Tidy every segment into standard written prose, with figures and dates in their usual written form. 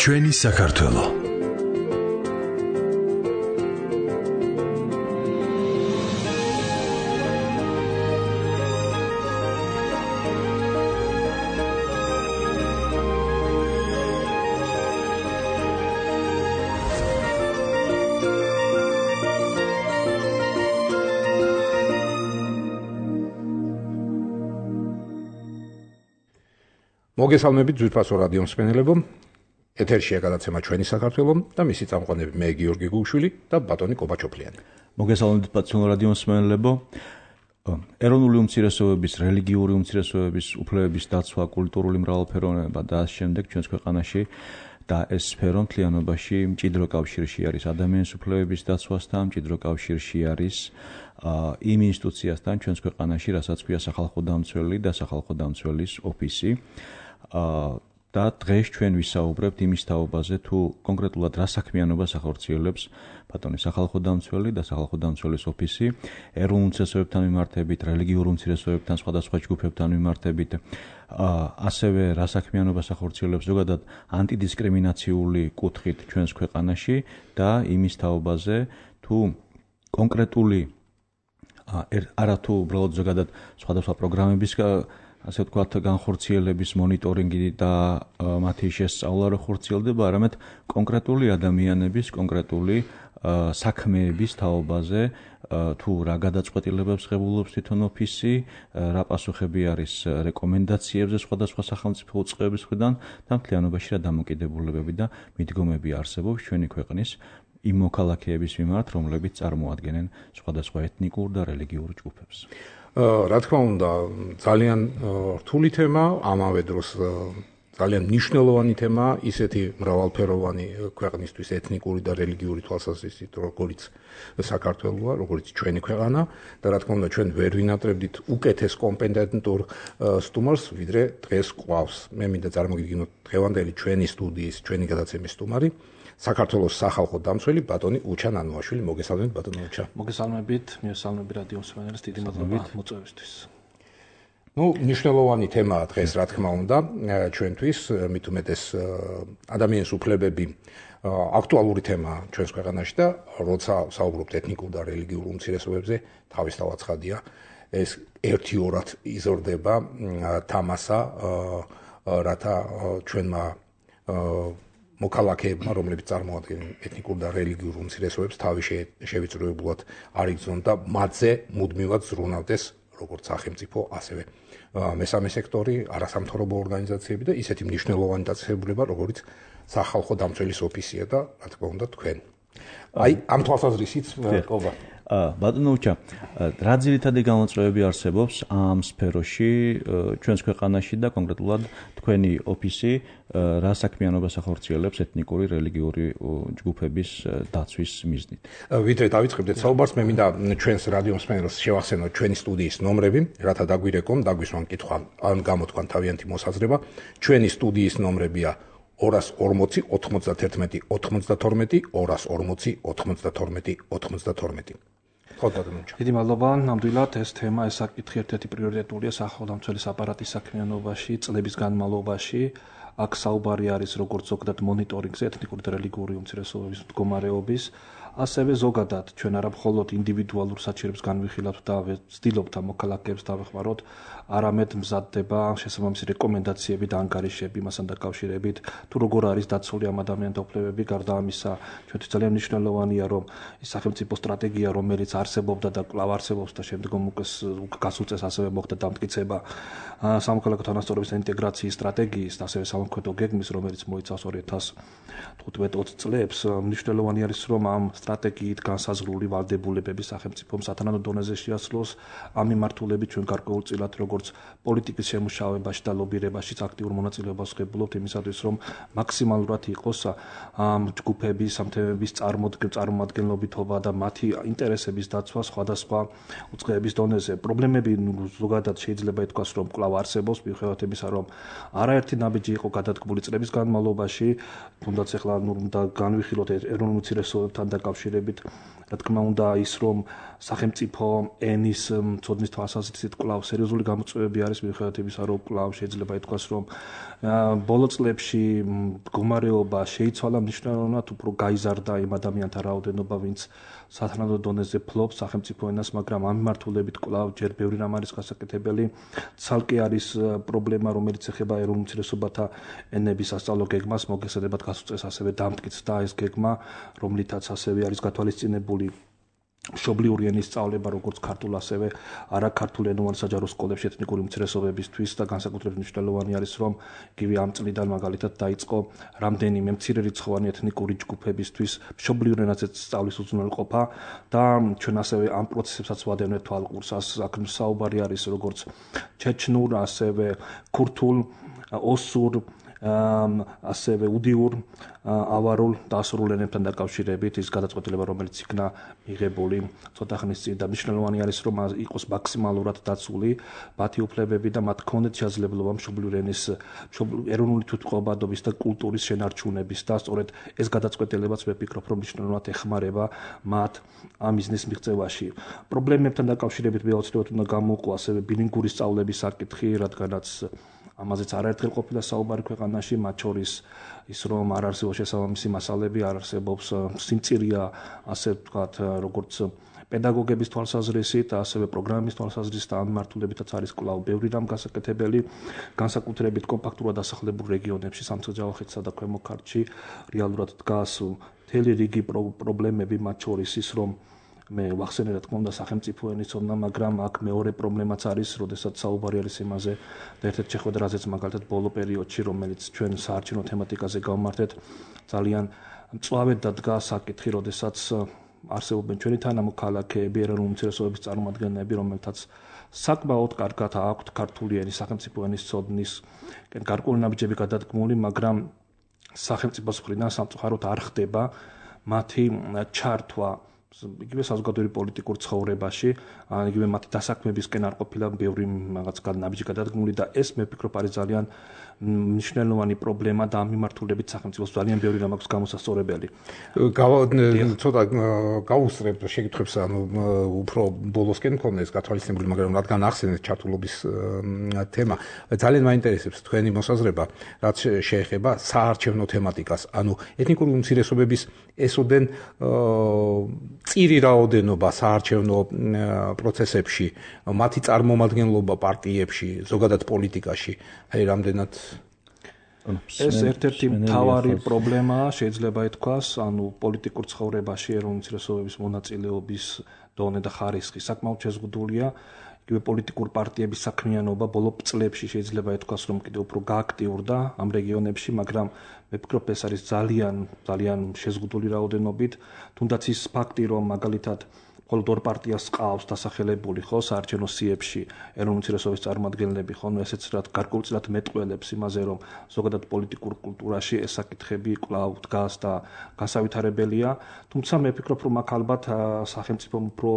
ჩვენი საქართველო. მოგესალმებით ძვირფასო რადიო მსმენელებო. ეთერშია გადაცემა ჩვენი საქართველო და მისი წამყვანები მე გიორგი გუშვილი და ბატონი კობაჩოფლიანი. მოგესალმებით პატრიოტულ რადიო მსმენელებო. ეროვნული უმცირესობების, რელიგიური უმცირესობების, უფლებების დაცვა, კულტურული მრავალფეროვნება და ამ შემდეგ ჩვენს ქვეყანაში და ეს სფერო მთლიანობაში მჭიდრო კავშირში არის ადამიანის უფლებების დაცვასთან, მჭიდრო კავშირში არის იმ ინსტიტუციასთან ჩვენს ქვეყანაში, რასაც ქვია სახალხო დამცველი და სახალხო დამცველის ოფისი. და დღეს ჩვენ ვისაუბრებთ იმის თაობაზე, თუ კონკრეტულად რა საქმიანობას ახორციელებს ბატონი სახალხო დამცველი და სახალხო დამცველის ოფისი ეროვნულ უმცირესობებთან მიმართებით, რელიგიურ უმცირესობებთან, სხვადასხვა ჯგუფებთან მიმართებით, ასევე რა საქმიანობას ახორციელებს ზოგადად ანტიდისკრიმინაციული კუთხით ჩვენს ქვეყანაში და იმის თაობაზე, თუ კონკრეტული არა თუ უბრალოდ ზოგადად სხვადასხვა პროგრამების ასე ვთქვათ, განხორციელების მონიტორინგი და მათი შესწავლა რო ხორციელდება, არამედ კონკრეტული ადამიანების, კონკრეტული საქმეების თაობაზე, თუ რა გადაწყვეტილებებს ღებულობს თვითონ ოფისი, რა პასუხები არის რეკომენდაციებზე სხვადასხვა სახელმწიფო უწყებების მხრიდან და მთლიანობაში რა დამოკიდებულებები და მიდგომები არსებობს ჩვენი ქვეყნის იმ მოქალაქეების მიმართ, რომლებიც წარმოადგენენ სხვადასხვა ეთნიკურ და რელიგიურ ჯგუფებს. რა თქმა უნდა, ძალიან რთული თემა, ამავე დროს ძალიან მნიშვნელოვანი თემა, ისეთი მრავალფეროვანი ქვეყნისთვის ეთნიკური და რელიგიური თვალსაზრისით, როგორც საქართველოა, როგორც ჩვენი ქვეყანა და რა თქმა უნდა, ჩვენ ვერ ვინატრებდით უკეთეს კომპეტენტურ სტუმარს, ვიდრე დღეს ყავს. მე მინდა წარმოგიდგინოთ დღევანდელი ჩვენი სტუდიის, ჩვენი გადაცემის სტუმარი. საქართველოს სახალხო დამცველი ბატონი უჩა ნანუაშვილი. მოგესალმებით ბატონო უჩა. მოგესალმებით, მიესალმებით რადიო მსმენელს, დიდი მადლობა მოწვევისთვის. მნიშვნელოვანი თემაა დღეს, რა თქმა უნდა, ჩვენთვის, მით უმეტეს ადამიანის უფლებები აქტუალური თემაა ჩვენს ქვეყანაში და როცა საუბრობთ ეთნიკურ და რელიგიურ უმცირესობებზე, თავისთავად ცხადია, ეს ერთიორად იზრდება თამასა, რათა ჩვენმა მოქალაქეებმა, რომლებიც წარმოადგენენ ეთნიკურ და რელიგიურ უმცირესობებს, თავი შევიწროებულად არ იგრძნონ და მათზე მუდმივად ზრუნავდეს როგორც სახელმწიფო, ასევე მესამე სექტორი, არასამთავრობო ორგანიზაციები და ისეთი მნიშვნელოვანი დაწესებულება, როგორც სახალხო დამცველის ოფისია და რა თქმა უნდა თქვენ. აი, ამ თვალსაზრისით ყობა. ბატონო უჩა, რა ძირითადი გამოწვევები არსებობს ამ სფეროში ჩვენს ქვეყანაში და კონკრეტულად თქვენი ოფისი რა საქმიანობას ახორციელებს ეთნიკური რელიგიური ჯგუფების დაცვის მიზნით? ვიდრე დავიწყებდეთ საუბარს, მე მინდა ჩვენს რადიო მსმენელს შევახსენოთ ჩვენი სტუდიის ნომრები, რათა დაგვირეკონ, დაგვისვან კითხვა, ან გამოთქვან თავიანთი მოსაზრება. ჩვენი სტუდიის ნომრებია 240 91 92 240 92 92. დიდი მადლობა. ნამდვილად ეს თემა, ეს საკითხი ერთ-ერთი პრიორიტეტულია სახალხო დამცველის აპარატის საქმიანობაში წლების განმავლობაში. აქ საუბარი არის როგორც ზოგადად მონიტორინგზე, ეთნიკური და რელიგიური უმცირესობების მდგომარეობის, ასევე ზოგადად ჩვენ არა მხოლოდ ინდივიდუალურ საჩივრებს განვიხილავთ და ვცდილობთ ამ მოქალაქეებს დავეხმაროთ, არამედ მზადდება შესაბამისი რეკომენდაციები და ანგარიშები მასთან დაკავშირებით, თუ როგორ არის დაცული ამ ადამიანთა უფლებები. გარდა ამისა, ჩვენთვის ძალიან მნიშვნელოვანია, რომ ის სახელმწიფო სტრატეგია, რომელიც არსებობდა და კვლავ არსებობს და შემდგომ გასულ წელს ასევე მოხდა დამტკიცება სამოქალაქო თანასწორობის ინტეგრაციის სტრატეგიის და ასევე სამოქმედო გეგმის, რომელიც მოიცავს 2015-20 წლებს. მნიშვნელოვანი არის, რომ ამ სტრატეგიით განსაზღვრული ვალდებულებები სახელმწიფომ სათანადო დონეზე შეასრულოს ამ მიმართულებით ჩვენ გარკვეულწილად როგორც პოლიტიკის შემუშავებაში და ლობირებაშიც აქტიურ მონაწილეობას ვღებულობთ იმისათვის, რომ მაქსიმალურად იყოს ამ ჯგუფების, ამ თემების წარმომადგენლობითობა და მათი ინტერესების დაცვა სხვადასხვა უწყებების დონეზე. პრობლემები ზოგადად შეიძლება ითქვას, რომ კვლავ არსებობს, მიუხედავად იმისა, რომ არაერთი ნაბიჯი იყო გადადგმული წლების განმავლობაში, თუნდაც ახლა უნდა განვიხილოთ ეროვნულ უმცირესობებთან დაკავშირებით რა თქმა უნდა ის რომ სახელმწიფო ენის ცოდნის თვალსაზრისით კვლავ სერიოზული გამოწვევები არის მიუხედავად იმისა რომ კვლავ შეიძლება ითქვას რომ ბოლო წლებში მდგომარეობა შეიცვალა მნიშვნელოვნად უფრო გაიზარდა იმ ადამიანთა რაოდენობა ვინც სათანადო დონეზე ფლობს სახელმწიფო ენას მაგრამ ამ მიმართულებით კვლავ ჯერ ბევრი რამ არის გასაკეთებელი ცალკე არის პრობლემა რომელიც ეხება ეროვნულ უმცირესობათა ენების სასწავლო გეგმას მოგესალმებათ გასუწეს ასევე დამტკიცდა ეს გეგმა რომლითაც ასევე არის გათვალისწინებული მშობლიური ენის სწავლება როგორც ქართულ ასევე არაქართულ ენოვან საჯარო სკოლებში ეთნიკური უმცირესობებისთვის და განსაკუთრებით მნიშვნელოვანი არის რომ იგივე ამ წლიდან მაგალითად დაიწყო რამდენიმე მცირე რიცხოვანი ეთნიკური ჯგუფებისთვის მშობლიურ ენაზე სწავლის უზრუნველყოფა და ჩვენ ასევე ამ პროცესებსაც ვადევნებთ თვალყურს აქ საუბარი არის როგორც ჩეჩნურ ასევე ქურთულ ოსურ ასევე უდიურ ავარულ და ასურულ ენებთან დაკავშირებით ის გადაწყვეტილება რომელიც იქნა მიღებული ცოტა ხნის წინ და მნიშვნელოვანი არის რომ იყოს მაქსიმალურად დაცული მათი უფლებები და მათ ქონდეთ შესაძლებლობა მშობლიური ენის ეროვნული თვითმყოფადობის და კულტურის შენარჩუნების და სწორედ ეს გადაწყვეტილებაც მე ვფიქრობ რომ მნიშვნელოვნად ეხმარება მათ ამ მიზნის მიღწევაში პრობლემებთან დაკავშირებით მე აუცილებლად უნდა გამოვყო ასევე ბილინგური სწავლების საკითხი რადგანაც ამაზეც არაერთხელ ყოფილა საუბარი ქვეყანაში, მათ შორის ის რომ არ არსებობს შესაბამისი მასალები, არ არსებობს სიმწირეა, ასე ვთქვათ, როგორც პედაგოგების თვალსაზრისით, ასევე პროგრამის თვალსაზრისით, ამ მიმართულებითაც არის კვლავ ბევრი რამ გასაკეთებელი, განსაკუთრებით კომპაქტურად დასახლებულ რეგიონებში, სამცხე-ჯავახეთსა და ქვემო ქართლში რეალურად დგას მთელი რიგი პრობლემები, მათ შორის ის რომ მე ვახსენე რა თქმა უნდა სახელმწიფო ენის ცოდნა, მაგრამ აქ მეორე პრობლემაც არის, როდესაც საუბარი არის იმაზე და ერთ-ერთ შეხვედრაზეც მაგალითად ბოლო პერიოდში, რომელიც ჩვენ საარჩევნო თემატიკაზე გავმართეთ, ძალიან მწვავედ დადგა საკითხი, როდესაც არსებობენ ჩვენი თანამოქალაქეები, ეროვნული უმცირესობების წარმომადგენლები, რომელთაც საკმაოდ კარგად აქვთ ქართული ენის სახელმწიფო ენის ცოდნის გარკვეული ნაბიჯები გადადგმული, მაგრამ სახელმწიფოს მხრიდან სამწუხაროდ არ ხდება მათი ჩართვა იგივე საზოგადოებრივ პოლიტიკურ ცხოვრებაში, იგივე მათი დასაქმებისკენ არ ყოფილა ბევრი რაღაც ნაბიჯი გადადგმული და ეს მე ვფიქრობ არის ძალიან მნიშვნელოვანი პრობლემა და ამ მიმართულებით სახელმწიფოს ძალიან ბევრი რამ აქვს გამოსასწორებელი. ცოტა გავუსწრებ შეკითხვებს, ანუ უფრო ბოლოსკენ მქონდა ეს გათვალისწინებული, მაგრამ რადგან ახსენეთ ჩართულობის თემა, ძალიან მაინტერესებს თქვენი მოსაზრება, რაც შეეხება საარჩევნო თემატიკას, ანუ ეთნიკური უმცირესობების ესოდენ წირი რაოდენობა საარჩევნო პროცესებში, მათი წარმომადგენლობა პარტიებში, ზოგადად პოლიტიკაში, აი რამდენად ეს ერთ-ერთი მთავარი პრობლემაა, შეიძლება ითქვას, ანუ პოლიტიკურ ცხოვრებაში ეროვნული უმცირესობების მონაწილეობის დონე და ხარისხი საკმაოდ შეზღუდულია. იგივე პოლიტიკურ პარტიების საქმიანობა ბოლო წლებში შეიძლება ითქვას, რომ კიდევ უფრო გააქტიურდა ამ რეგიონებში, მაგრამ მე ვფიქრობ, ეს არის ძალიან შეზღუდული რაოდენობით, თუნდაც ის ფაქტი, რომ მაგალითად მხოლოდ ორ პარტიას ყავს დასახელებული ხო საარჩევნო სიებში ეროვნული უმცირესობის წარმომადგენლები ხო, ესეც რა გარკვეულწილად მეტყველებს იმაზე, რომ ზოგადად პოლიტიკურ კულტურაში ეს საკითხები კვლავ დგას და გასავითარებელია, თუმცა მე ვფიქრობ, რომ აქ ალბათ სახელმწიფომ უფრო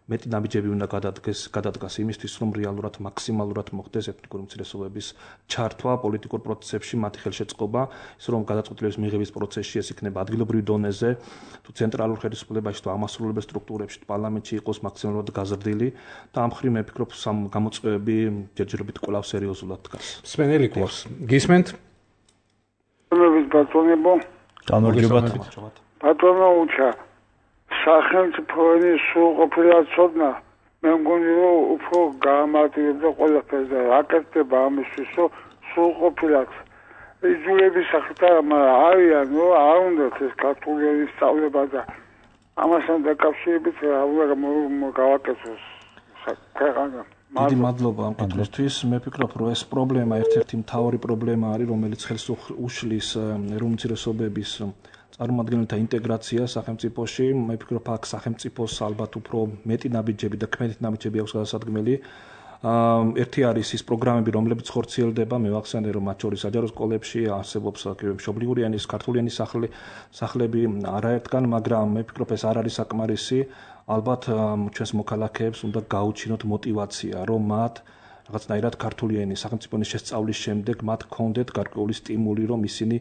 მეტი ნაბიჯები უნდა გადადგას იმისთვის, რომ რეალურად მაქსიმალურად მოხდეს ეთნიკური უმცირესობების ჩართვა პოლიტიკურ პროცესებში, მათი ხელშეწყობა, ის რომ გადაწყვეტილების მიღების პროცესში ეს იქნება ადგილობრივ დონეზე, თუ ცენტრალურ ხელისუფლებაში, თუ ამასრულებელ სტრუქტურებში, თუ პარლამენტში იყოს მაქსიმალურად გაზრდილი და ამ მხრივ მე ვფიქრობ, გამოწვევები ჯერჯერობით კვლავ სერიოზულად დგას. სპენელი ყავს. გისმენთ? ბატონებო. გამარჯობათ. ბატონო უჩა სახელმწიფო ენის სრულყოფილად ცოდნა მე მგონი რომ უფრო გაამარტივებდა ყველაფერს და აკეთდება ამისთვის რომ სრულყოფილად იძულების სახით არიან რომ არ უნდათ ეს ქართული ენის სწავლება და ამასთან დაკავშირებით რა უნდა გავაკეთოს ქვეყანა. დიდი მადლობა ამ კითხვისთვის. მე ვფიქრობ, რომ ეს პრობლემა ერთ-ერთი მთავარი პრობლემა არის, რომელიც ხელს უშლის ეროვნული უმცირესობების წარმომადგენელთა ინტეგრაცია სახელმწიფოში. მე ვფიქრობ, აქ სახელმწიფოს ალბათ უფრო მეტი ნაბიჯები და ქმედით ნაბიჯები აქვს გადასადგმელი. ერთი არის ის პროგრამები, რომლებიც ხორციელდება, მე ვახსენე, რომ მათ შორის საჯარო სკოლებში არსებობს მშობლიური ენის, ქართული ენის სახლები არაერთგან, მაგრამ მე ვფიქრობ, ეს არ არის საკმარისი. ალბათ ჩვენს მოქალაქეებს უნდა გაუჩინოთ мотиваცია, რომ მათ რაღაცნაირად ქართული ენის სახელმწიფო ენის შესწავლის შემდეგ მათ გქონდეთ გარკვეული სტიმული, რომ ისინი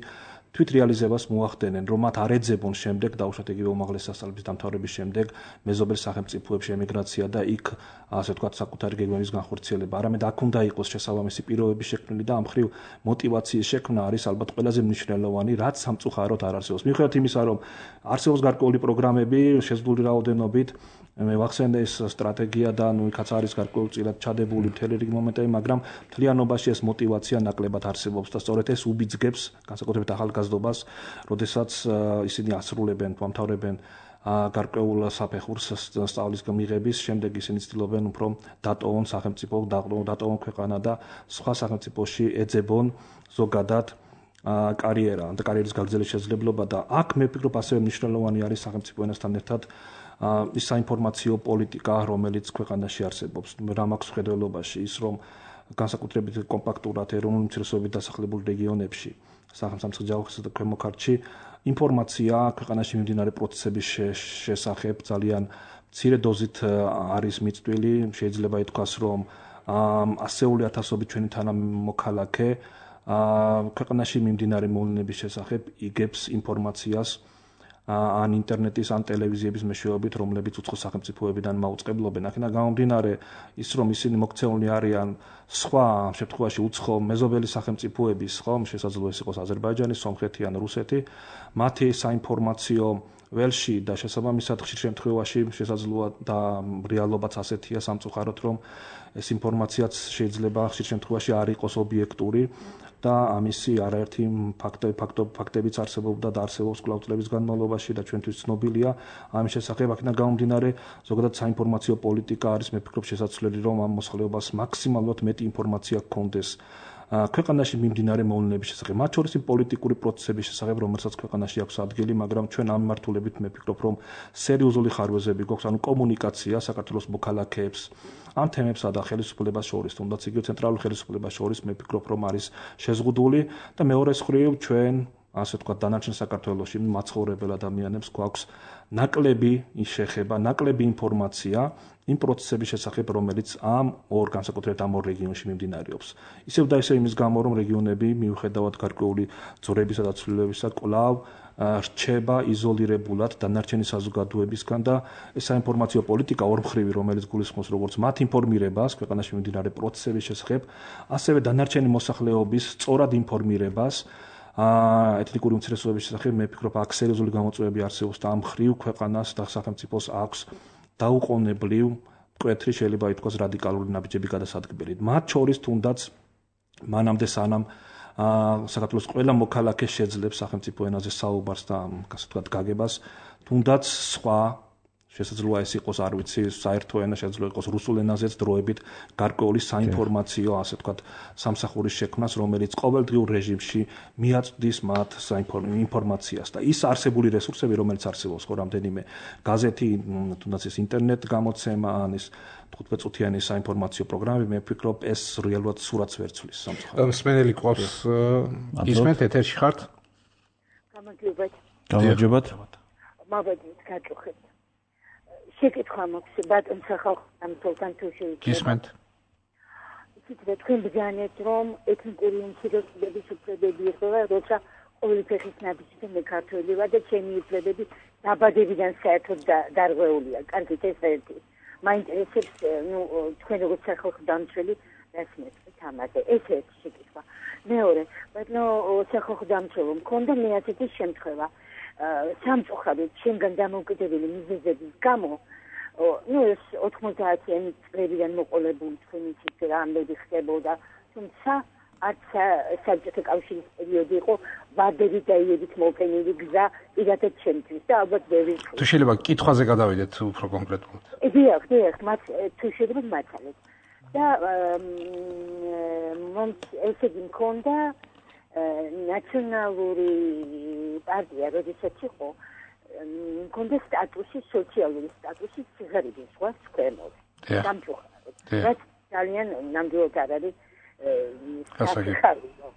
თვით რეალიზებას მოახდენენ, რომ მათ არ ეძებონ შემდეგ დაუშვათ იგივე უმაღლესი სასწავლებლის დამთავრების შემდეგ მეზობელ სახელმწიფოებში ემიგრაცია და იქ ასე ვთქვათ საკუთარი გეგმების განხორციელება. არამედ აქ უნდა იყოს შესაბამისი პირობები შექმნილი და ამ მხრივ мотиваციის შექმნა არის ალბათ ყველაზე მნიშვნელოვანი, რაც სამწუხაროდ არ არსებობს. მიუხედავად იმისა, რომ არსებობს გარკვეული პროგრამები შეზღუდული რაოდენობით, მე ვახსენე ეს სტრატეგია და იქაც არის გარკვეულწილად ჩადებული მთელი რიგი მომენტები, მაგრამ მთლიანობაში ეს мотиваცია ნაკლებად არსებობს და სწორედ ეს უბიძგებს განსაკუთრებით ახალგაზრდობას, როდესაც ისინი ასრულებენ, ამთავრებენ გარკვეულ საფეხურს სწავლის მიღების შემდეგ ისინი ცდილობენ უფრო დატოვონ სახელმწიფო, დატოვონ ქვეყანა და სხვა სახელმწიფოში ეძებონ ზოგადად კარიერა და კარიერის გაგრძელის შესაძლებლობა და აქ მე ვფიქრობ ასევე მნიშვნელოვანი არის სახელმწიფო ენასთან ერთად ის საინფორმაციო პოლიტიკა, რომელიც ქვეყანაში არსებობს, რა მაქვს მხედველობაში, ის რომ განსაკუთრებით კომპაქტურად ეროვნული უმცირესობებით დასახლებულ რეგიონებში, სახელმწიფო ჯავახეთსა და ქვემო ქართლში ინფორმაცია ქვეყანაში მიმდინარე პროცესების შესახებ ძალიან მცირე დოზით არის მიწვილი, შეიძლება ითქვას, რომ ასეული ათასობით ჩვენი თანამოქალაქე ქვეყანაში მიმდინარე მოვლენების შესახებ იგებს ინფორმაციას ან ინტერნეტის ან ტელევიზიების მეშვეობით, რომლებიც უცხო სახელმწიფოებიდან მაუწყებლობენ. აქედან გამომდინარე, ის რომ ისინი მოქცეულნი არიან სხვა შემთხვევაში უცხო მეზობელი სახელმწიფოების, შესაძლოა ეს იყოს აზერბაიჯანი, სომხეთი ან რუსეთი, მათი საინფორმაციო ველში და შესაბამისად ხშირ შემთხვევაში შესაძლოა და რეალობაც ასეთია სამწუხაროდ, რომ ეს ინფორმაციაც შეიძლება ხშირ შემთხვევაში არ იყოს ობიექტური და ამისი არაერთი ფაქტებიც არსებობდა და არსებობს კვლავ წლების განმავლობაში და ჩვენთვის ცნობილია ამის შესახებ. აქედან გამომდინარე, ზოგადად საინფორმაციო პოლიტიკა არის, მე ვფიქრობ, შესაძლებელი, რომ ამ მოსახლეობას მაქსიმალურად მეტი ინფორმაცია ჰქონდეს ქვეყანაში მიმდინარე მოვლენების შესახებ, მათ შორის პოლიტიკური პროცესების შესახებ, რომელსაც ქვეყანაში აქვს ადგილი, მაგრამ ჩვენ ამ მიმართულებით მე ვფიქრობ, რომ სერიოზული ხარვეზები გვაქვს, ანუ კომუნიკაცია საქართველოს მოქალაქეებს ამ თემებსა და ხელისუფლებას შორის, თუნდაც იგივე ცენტრალურ ხელისუფლებას შორის, მე ვფიქრობ, რომ არის შეზღუდული და მეორე მხრივ ჩვენ ასე ვთქვათ, დანარჩენ საქართველოში მაცხოვრებელ ადამიანებს გვაქვს ნაკლები შეხება, ნაკლები ინფორმაცია იმ პროცესების შესახებ, რომელიც ამ ორ განსაკუთრებით ამ ორ რეგიონში მიმდინარეობს. ისევ და ისევ იმის გამო, რომ რეგიონები მიუხედავად გარკვეული ძორებისა და ცვლილებებისა კვლავ რჩება იზოლირებულად დანარჩენი საზოგადოებისგან და ეს საინფორმაციო პოლიტიკა ორმხრივი, რომელიც გულისხმობს როგორც მათ ინფორმირებას ქვეყანაში მიმდინარე პროცესების შესახებ, ასევე დანარჩენი მოსახლეობის სწორად ინფორმირებას ეთნიკური უმცირესობების შესახებ, მე ვფიქრობ, აქ სერიოზული გამოწვევები არსებობს და ამ მხრივ ქვეყანას და სახელმწიფოს აქვს დაუყოვნებლივ მკვეთრი, შეიძლება ითქვას, რადიკალური ნაბიჯები გადასადგმელი. მათ შორის თუნდაც მანამდე სანამ საქართველოს ყველა მოქალაქე შეძლებს სახელმწიფო ენაზე საუბარს და ასე ვთქვათ გაგებას, თუნდაც სხვა შესაძლოა ეს იყოს, არ ვიცი, საერთო ენა, შესაძლოა იყოს რუსულ ენაზეც დროებით გარკვეული საინფორმაციო, ასე ვთქვათ, სამსახურის შექმნას, რომელიც ყოველდღიურ რეჟიმში მიაწვდის მათ ინფორმაციას და ის არსებული რესურსები, რომელიც არსებობს, რამდენიმე გაზეთი, თუნდაც ეს ინტერნეტ გამოცემა, ან ეს 15 წუთიანი საინფორმაციო პროგრამები, მე ვფიქრობ, ეს რეალურად სურათს ვერ ცვლის სამწუხაროდ. მსმენელი ყავს, ისმენთ ეთერში ხართ? გამარჯობათ. მოგეთ გაჭუხეთ. შეკითხვა მაქვს ბატონ სახელმწიფოსთან თუ შეიძლება. ისმენთ. ისიც თქვენ ბრძანეთ, რომ ეთნიკური უმცირესობების უფლებები ეხება, როცა ყოველი ფეხის ნაბიჯზე მე ქართველი ვარ და ჩემი უფლებები დაბადებიდან საერთოდ დარღვეულია. კარგით, ეს ერთი. მაინტერესებს, თქვენ როგორც სახალხო დამცველი რას მეცეთ ამაზე. ეს ერთი შეკითხვა. მეორე, ბატონო სახალხო დამცველო, მქონდა მე ასეთი შემთხვევა. სამწუხაროდ შემგან დამოუკიდებელი მიზეზების გამო ეს 90-იანი წლებიდან მოყოლებული თქვენი ციხე რამდენი ხდებოდა, თუმცა არც საბჭოთა კავშირის პერიოდი იყო ვადებით და იედით მოფენილი გზა პირადად ჩემთვის და ალბათ ბევრი თუ შეიძლება კითხვაზე გადავიდეთ უფრო კონკრეტულად. დიახ, თუ შეიძლება მაცალეთ. და ესე იგი მქონდა ნაციონალური პარტია, როდესაც იყო მქონდა სტატუსი, სოციალური სტატუსი ციხეების ზღვას ქვემოთ. სამწუხაროდ. რაც ძალიან ნამდვილად არ არის სასახარო.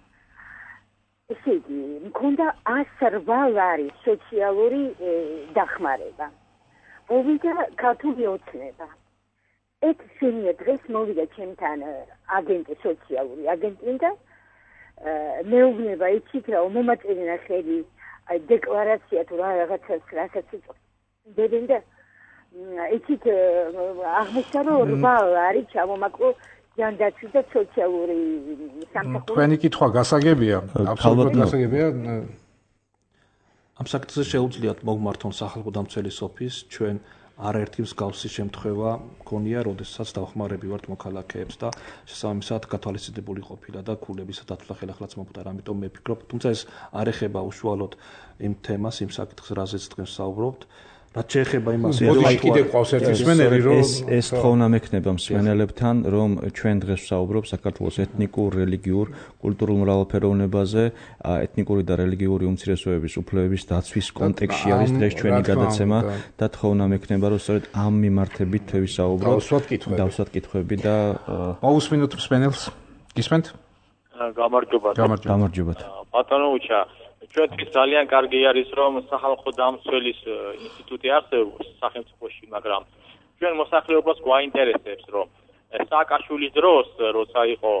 ესე იგი, მქონდა 108 ლარი სოციალური დახმარება. მოვიდა ქართული ოცნება. ეს შენია დღეს მოვიდა ჩემთან აგენტი, სოციალური აგენტი და მეუბნება იცით რა მომაწერინა ხელი აი დეკლარაცია თუ რაღაცას რასაც დებენ და იცით აღმოჩნდა რომ 8 არის ჩამომაკლო ჯანდაცვის და სოციალური სამსახური. თქვენი კითხვა გასაგებია, აბსოლუტურად გასაგებია. ამ საკითხზე შეუძლიათ მოგმართონ სახალხო დამცველის ოფისს ჩვენ არაერთი მსგავსი შემთხვევა მქონია, როდესაც დავხმარები ვართ მოქალაქეებს და შესაბამისად გათვალისწინებული ყოფილა და ქულების დათვლა ხელახლაც მომხდარა. ამიტომ მე ვფიქრობ, თუმცა ეს არ ეხება უშუალოდ იმ თემას, იმ საკითხს, რაზეც თქვენ საუბრობთ. რაც შეეხება იმას, კიდევ ყავს ერთი მსმენელი, რომ ეს თხოვნა მექნება მსმენელებთან, რომ ჩვენ დღეს ვსაუბრობ საქართველოს ეთნიკურ, რელიგიურ, კულტურულ მრავალფეროვნებაზე, ეთნიკური და რელიგიური უმცირესობების უფლებების დაცვის კონტექსტში არის დღეს ჩვენი გადაცემა და თხოვნა მექნება, რომ სწორედ ამ მიმართებით ვისაუბროთ. დავსვათ კითხვები და მოусმინოთ მსმენელს. გისმენთ? გამარჯობათ. ბატონო უჩა ჩვენთვის ძალიან კარგი არის რომ სახალხო დამცველის ინსტიტუტი არსებობს სახელმწიფოში, მაგრამ ჩვენ მოსახლეობას გვაინტერესებს რომ სააკაშვილის დროს როცა იყო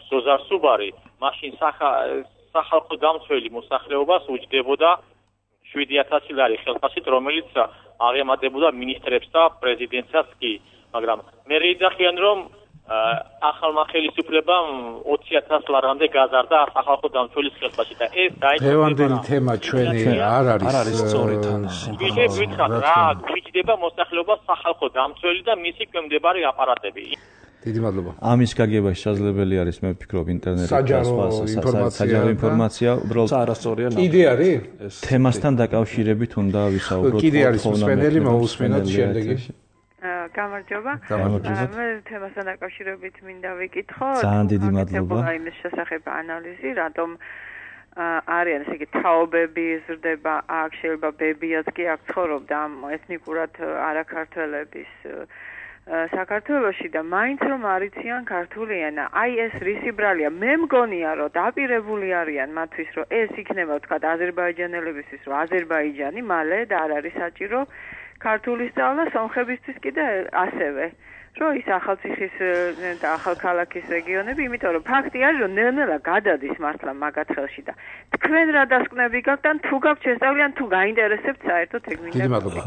სოზარ სუბარი, მაშინ სახალხო დამცველი მოსახლეობას უჯდებოდა 7000 ლარი ხელფასით, რომელიც აღემატებოდა მინისტრებს და პრეზიდენტსაც კი, მაგრამ მე ვიდახიან რომ ახალმა ხელისუფლებამ 20000 ლარამდე გაზარდა სახალხო დამცველის ხელფასი და ეს დღევანდელი თემა ჩვენი არ არის სწორედ თან. გვიჭდება მოსახლეობას სახალხო დამცველი და მისი ქვემდებარე აპარატები. დიდი მადლობა. ამის გაგებაში შესაძლებელი არის, მე ვფიქრობ, ინტერნეტის საჯარო ინფორმაცია, უბრალოდ არასწორია. კიდე არის თემასთან დაკავშირებით უნდა ვისაუბროთ. კიდე არის მსმენელი, მოусმინოთ შემდეგი. გამარჯობა. მე თემასთან დაკავშირებით მინდა ვიკითხო. ძალიან დიდი მადლობა. იმის შესახებ ანალიზი, რატომ არიან ესე იგი თაობები იზრდება, აქ შეიძლება ბებიაც კი აქ ცხოვრობდა ამ ეთნიკურად არაქართველების საქართველოში და მაინც რომ არიციან ქართული ენა. აი ეს რისი ბრალია? მე მგონია რომ დაპირებული არიან მათთვის რომ ეს იქნება ვთქვათ აზერბაიჯანელებისთვის რომ აზერბაიჯანი მალე და არ არის საჭირო ქართული სწავლა სომხებისთვის კიდე ასევე. რომ ის ახალციხის და ახალქალაქის რეგიონები, იმიტომ რომ ფაქტი არის რომ ნელ-ნელა გადადის მართლა მაგათ ხელში და თქვენ რა დასკვნები გაქვთ ან თუ გაქვთ შესწავლიან თუ გაინტერესებთ საერთოდ ეგ მინდა. დიდი მადლობა.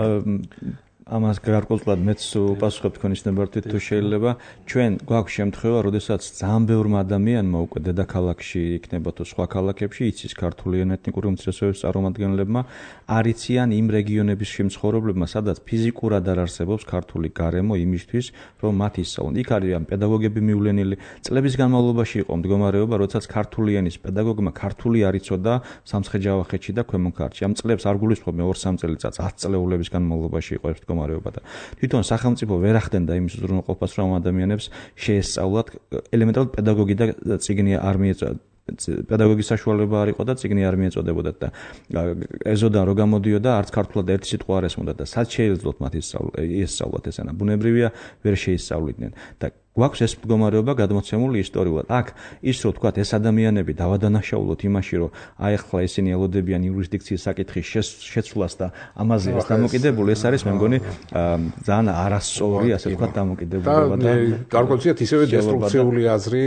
ამას გარკვეულწილად მეც უპასუხებ თქვენის ნებართვით თუ შეიძლება. ჩვენ გვაქვს შემთხვევა, როდესაც ძალიან ბევრმა ადამიანმა უკვე დედაქალაქში იქნება თუ სხვა ქალაქებში იცის ქართული ეთნიკური უმცირესობების წარმომადგენლებმა არიციან იმ რეგიონების შემცხოვრებლებმა, სადაც ფიზიკურად არ არსებობს ქართული გარემო იმისთვის, რომ მათ ისწავლონ. იქ არიან პედაგოგები მივლენილი. წლების განმავლობაში იყო მდგომარეობა, როდესაც ქართული ენის პედაგოგმა ქართული არ იცოდა სამცხე-ჯავახეთში და ქვემო ქართლში. ამ წლებს არ გულისხმობ მე 2-3 წელიწადს 10 წლეულების განმავლობაში იყო ეს მდგომარეობა და თვითონ სახელმწიფო ვერ ახდენდა იმის უზრუნველყოფას, რომ ადამიანებს შეესწავლათ ელემენტარულად პედაგოგი და წიგნი არ მიეწოდა. პედაგოგის საშუალება არ იყო და წიგნი არ მიეწოდებოდათ და ეზოდან რო გამოდიოდა არც ქართულად ერთი სიტყვა არ ესმოდა და სად შეეძლოთ მათ ისწავლათ ეს ენა. ბუნებრივია ვერ შეისწავლიდნენ და გვაქვს ეს მდგომარეობა გადმოცემული ისტორიულად. აქ ის რო თქვათ ეს ადამიანები დავადანაშაულოთ იმაში, რომ აი ახლა ისინი ელოდებიან იურისდიქციის საკითხის შეცვლას და ამაზე ეს დამოკიდებული, ეს არის მე მგონი ძალიან არასწორი, ასე ვთქვათ, დამოკიდებულება და გარკვეულწილად ისევე დესტრუქციული აზრი.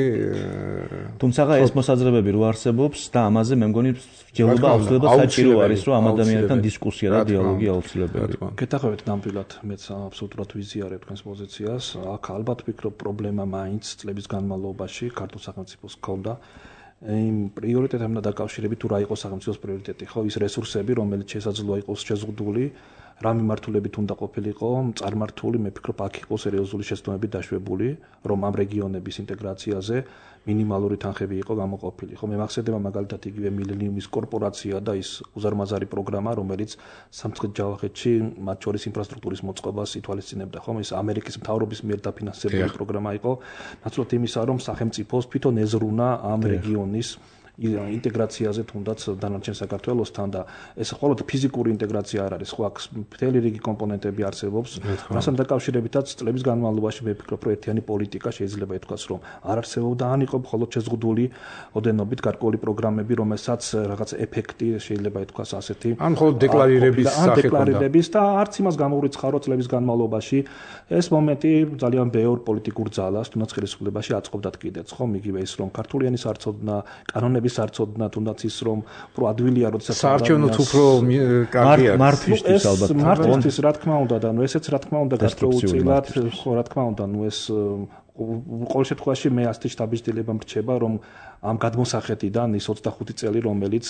თუმცა ეს მოსაზრებები რო არსებობს და ამაზე მე მგონი მსჯელობა აუცილებლად საჭირო არის, რომ ამ ადამიანებთან დისკუსია და დიალოგი აუცილებელია. გეთახებით ნამდვილად მეც აბსოლუტურად ვიზიარებ თქვენს პოზიციას. აქ ალბათ ვფიქრობ პრობლემა მაინც წლების განმავლობაში ქართულ სახელმწიფოს ჰქონდა იმ პრიორიტეტებთან დაკავშირებით, თუ რა იყო სახელმწიფოს პრიორიტეტი, ხო, ის რესურსები, რომელიც შესაძლოა იყოს შეზღუდული, რა მიმართულებით უნდა ყოფილიყო წარმართული, მე ვფიქრობ, აქ იყო სერიოზული შეცდომები დაშვებული, რომ ამ რეგიონების ინტეგრაციაზე მინიმალური თანხები იყო გამოყოფილი. ხო, მე მახსენდება მაგალითად იგივე მილენიუმის კორპორაცია და ის უზარმაზარი პროგრამა, რომელიც სამცხე-ჯავახეთში მათ შორის ინფრასტრუქტურის მოწყობას ითვალისწინებდა. ხო, ეს ამერიკის მთავრობის მიერ დაფინანსებული პროგრამა იყო, ნაცვლად იმისა, რომ სახელმწიფოს თვითონ ეზრუნა ამ რეგიონის ინტეგრაციაზე თუნდაც დანარჩენ საქართველოსთან და ეს მხოლოდ ფიზიკური ინტეგრაცია არ არის, ხო აქ მთელი რიგი კომპონენტები არსებობს, რასთან დაკავშირებითაც წლების განმავლობაში მე ვფიქრობ, რომ ერთიანი პოლიტიკა შეიძლება ითქვას, რომ არ არსებობდა, ან იყო მხოლოდ შეზღუდული ოდენობით გარკვეული პროგრამები, რომელსაც რაღაც ეფექტი შეიძლება ითქვას ასეთი. ან მხოლოდ დეკლარირების სახე ქონდა. და არც იმას გამოურიცხა, რომ წლების განმავლობაში ეს მომენტი ძალიან ბევრ პოლიტიკურ ძალას თუნდაც ხელისუფლებაში აწყობდათ კიდეც, ხო, იგივე ის რომ ქართული ენის არცოდნა, კანონების არცოდნა, თუნდაც ის რომ უფრო ადვილია, როდესაც საარჩევნოთ უფრო კარგია მართვისთვის ალბათ. მართვისთვის რა თქმა უნდა და ესეც რა თქმა უნდა გასწროუწილად, ხო, რა თქმა უნდა, ეს ყოველ შემთხვევაში მე ასეთი შთაბეჭდილება მრჩება, რომ ამ გადმოსახედიდან ის 25 წელი, რომელიც